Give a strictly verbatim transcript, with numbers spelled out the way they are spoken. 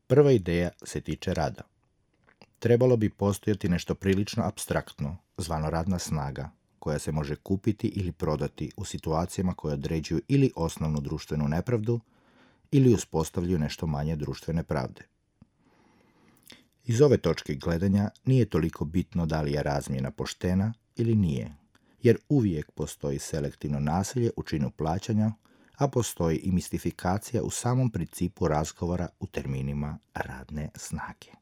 Prva ideja se tiče rada. Trebalo bi postojati nešto prilično apstraktno, zvano radna snaga, koja se može kupiti ili prodati u situacijama koje određuju ili osnovnu društvenu nepravdu ili uspostavljaju nešto manje društvene pravde. Iz ove točke gledanja nije toliko bitno da li je razmjena poštena ili nije, jer uvijek postoji selektivno nasilje u činu plaćanja, a postoji i mistifikacija u samom principu razgovora u terminima radne snage.